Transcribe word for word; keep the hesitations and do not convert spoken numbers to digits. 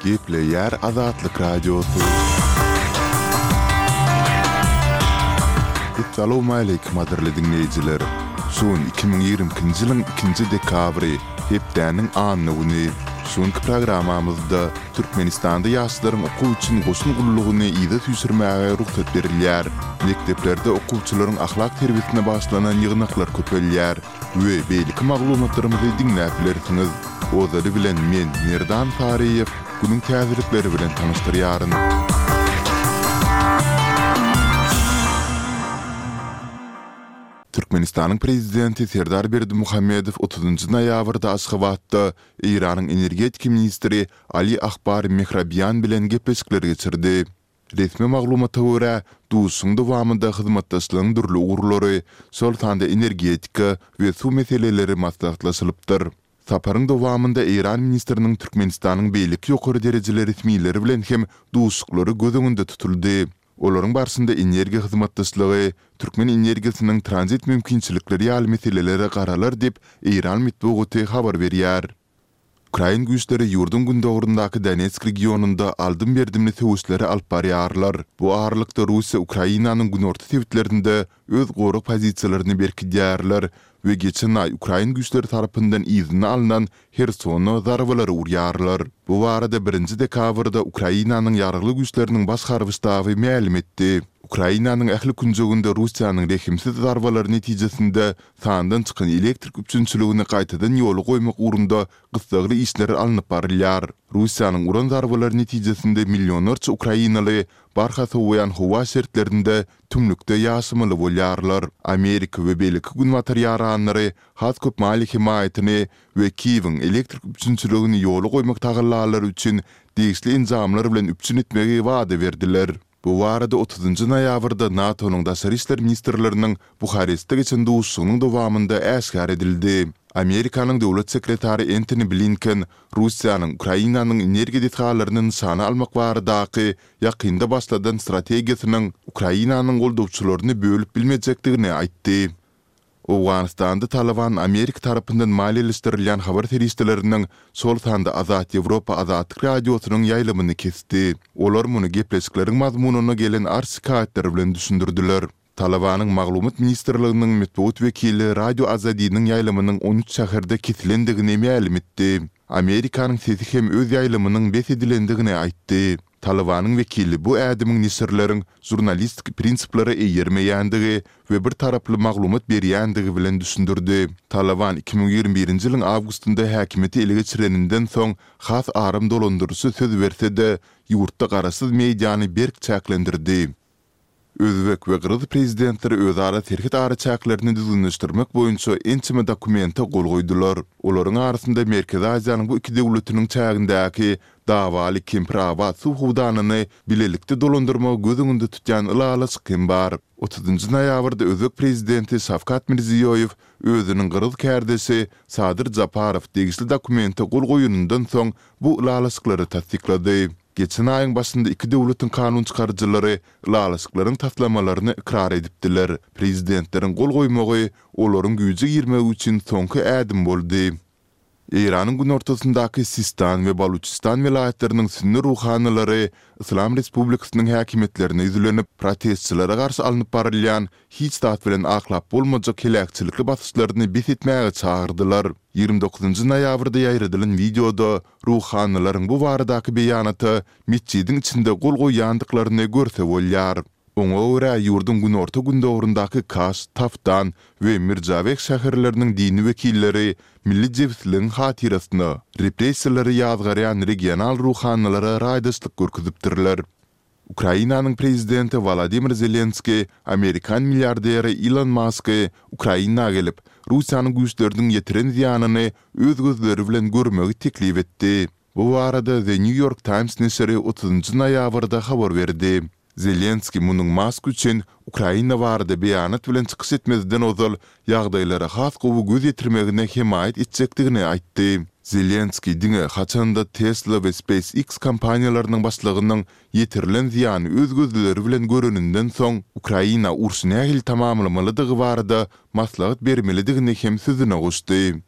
Gepleýär Azatlyk Radiosy. Essalawmaleýkim gadyrly diňleýjiler! Şu gün iki müň ýigrimi ikinji ýylyň ikinji dekabry, hepdäniň anna güni. Şu günki programmamyzda Türkmenistanda ýaşlaryň okuw üçin goşun gullugyny yza süýşürmäge rugsat berilýär. Mekdeplerde okuwçylaryň ahlak terbiýesine bagyşlanan ýygnaklar köpelýär we beýleki maglumatlarymyzy diňläp bilersiňiz. Ozaly bilen men, Merdan Saryýew, günüň täzelikleri bilen tanyşdyrýaryn. Türkmenistanyň Prezidenti Serdar Berdimuhamedow otuzynjy noýabrda Aşgabatda Eýranyň energetika ministri Ali Akbar Mehrabian bilen gepleşikler geçirdi. Resmi maglumata görä, duşuşygyň dowamynda hyzmatdaşlygyň dürli ugurlary, şol sanda energetika we suw meseleleri maslahatlaşylypdyr. Saparyň dowamynda eýran ministriniň Türkmenistanyň beýleki ýokary derejeli resmileri bilen hem duşuşyklary göz öňünde tutuldy. Olaryň barşynda energiýa hyzmatdaşlygy, türkmen energiýasynyň tranzit mümkinçilikleri ýaly meselelere garalar diýip, eýran metbugaty habar berýär. Ukrain güýçleri ýurduň gündogaryndaky Donetsk regionynda aldym-berdimli söweşleri alyp barýarlar. Bu aralykda Russiýa Ukrainanyň günorta sebitlerinde öz gorag pozisiýalaryny berkidýärler we geçen aý ukrain güýçleri tarapyndan yzyna alnan Hersona zarbalary urýarlar. Bu barada birinji dekabrda Ukrainanyň Ýaragly Güýçleriniň Baş harby ştaby mälim etdi. Ukrainanyň ähli künjeginde Russiýanyň rehimsiz zarbalary netijesinde sandan çykan elektrik üpjünçiligini gaýtadan ýola goýmak ugrunda gyssagly işler alnyp barylýar. Russiýanyň uran zarbalary netijesinde millionlarça ukrainaly barha sowaýan howa şertlerinde tümlükde ýaşamaly bolýarlar. Amerika we beýleki günbatar ýaranlary has köp maliýe hemaýatyny we Kiýewiň elektrik üpjünçiligini ýola goýmak tagallalary üçin degişli enjamlar bilen üpjün etmegi wada berdiler. Bu barada otuzynjy noýabrda NATO-nyň daşary işler ministrleriniň Buharestde geçen duşuşygynyň dowamynda äşgär edildi. Amerikanyň döwlet sekretary Entoni Blinken Russiýanyň Ukrainanyň energiýa desgalaryny nyşana almak baradaky ýakynda başladan strategiýasynyň Ukrainanyň goldawçylaryny bölüp bilmejekdigini aýtdy. Owganystanda Talyban Amerika tarapyndan maliýeleşdirilýän habar serişdeleriniň, şol sanda Azat Ýewropa Azatlyk Radiosynyň ýaýlymyny kesdi. Olar muny gepleşikleriň mazmunyna gelen arz-şikaýatlar bilen düşündirdiler. Talybanyň Maglumat ministrliginiň metbugat wekili Radio Azadiniň ýaýlymynyň on üç şäherde kesilendigini mälim etdi. Amerikanyň Sesi hem öz ýaýlymynyň bes edilendigini aýtdy. Talybanyň wekili bu ädimiň neşirleriň žurnalistik prinsiplere eýermeýändigi we bir taraply maglumat berýändigi bilen düşündirdi. Talyban iki müň ýigrimi birinji ýylyň awgustynda häkimiýeti ele geçireninden soň has aram dolandyryşy söz berse-de, ýurtda garaşsyz mediany berk çäklendirdi. Özbek we gyrgyz prezidentleri özara serhet araçäklerini düzgünleşdirmek boýunça ençeme dokumente gol goýdular. Olaryň arasynda Merkezi Aziýanyň bu iki döwletiniň çägindäki dawaly Kempirabat suw howdanyny bilelikde dolandyrmagy göz öňünde tutýan ylalaşyk hem bar. Otuzynjy noýabrda özbek prezidenti Şawkat Mirziýoýew özüniň gyrgyz kärdeşi Sadyr Japarow degişli dokumente gol goýanyndan soň bu ylalaşyklary tassyklady. Geçen aýyň başynda iki döwletiň kanunçykaryjylary ylalaşyklaryň taslamalaryny ykrar edipdiler. Prezidentleriň gol goýmagy olaryň güýje girmegi üçin soňky ädim boldy. Eýranyň günortasyndaky Sistan we Baluçistan welaýatlarynyň sünni ruhanylary Yslam Respublikasynyň häkimiýetlerine ýüzlenip, protestçilere garşy alnyp barylýan hiç zat bilen aklap bolmajak heläkçilikli basyşlaryny bes etmäge çagyrdylar. Ýigrimi dokuzynjy noýabrda ýaýradylan wideoda Ruhanylaryň bu baradaky beýanata metjidiň içinde gol goýýandyklaryny görse bolýar. Oňa görä, ýurduň günorta-gündogaryndaky Kaş, Taftan we Mirjaweh şäherleriniň dini wekilleri milli jebisligiň hatyrasyna repressiýalary ýazgarýan regional ruhanylara raýdaşlyk görkezipdirler. Ukrainanyň prezidenti Wolodymyr Zelenskiý amerikan milliarderi Ilon Masky Ukraina gelip, Russiýanyň güýçleriniň ýetiren zyýanyny öz gözleri bilen görmegi teklip etdi. Bu barada The New York Times neşiri otuzynjy noýabrda habar berdi. Zelenskiý munuň Mask üçin Ukraina barada beýanat bilen çykyş etmezden ozal ýagdaýlara has gowy göz ýetirmegine hemaýat etjekdigini aýtdy. Zelenskiý diňe haçanda Tesla we SpaceX kompaniýalarynyň başlygynyň ýetirilen zyýany öz gözleri bilen göreninden soň, Ukraina urşy nähili tamamlamalydygy barada maslahat bermelidigini hem sözüne goşdy.